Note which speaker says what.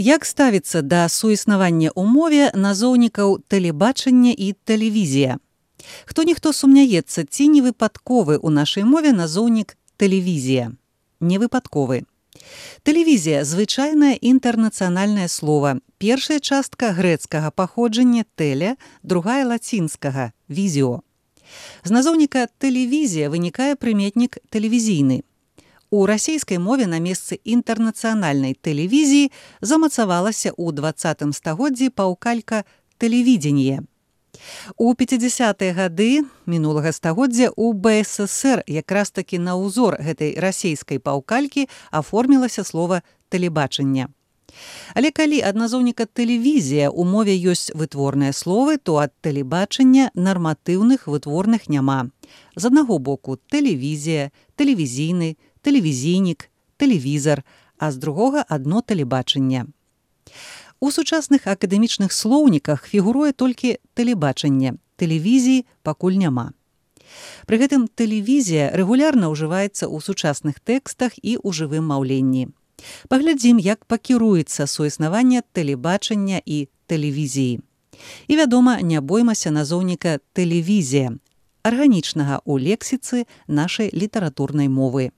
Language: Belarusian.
Speaker 1: Як ставіцца да суіснавання ў мове назоўнікаў тэлебачання і тэлевізія? Хто-ніхто сумняецца, ці не выпадковы ў нашай мове назоўнік тэлевізія? Не выпадковы. Тэлевізія – звычайнае інтэрнацыянальнае слова. Першая частка грэцкага паходжання «теле», другая лацінскага «візіо». З назоўніка «тэлевізія» вынікае прыметнік «тэлевізійны». У расійскай мове на месцы інтэрнацыянальнай тэлевізіі замацавалася ў 20 стагоддзі паўкалька «тэлевідзенье». У 50-е гады мінулага стагоддзя ў БССР якраз такі на ўзор гэтай расійскай паўкалькі аформілася слова «тэлебачання». Але калі ад назоўніка «тэлевізія» у мове ёсць вытворныя словы, то ад тэлебачання нарматыўных вытворных няма. З аднаго боку тэлевізія, тэлевізійны, тэлевізійнік, тэлевізар, а з другога адно тэлебачанне. У сучасных акадэмічных слоўніках фігуруе толькі тэлебачанне, тэлевізіі пакуль няма. Пры гэтым тэлевізія рэгулярна ўжываецца ў сучасных тэкстах і ў жывым маўленні. Паглядзім, як пакіруецца суіснаванне тэлебачання і тэлевізіі. І, вядома, не боймася назоўніка «тэлевізія», арганічнага ў лексіцы нашай літаратурнай мовы.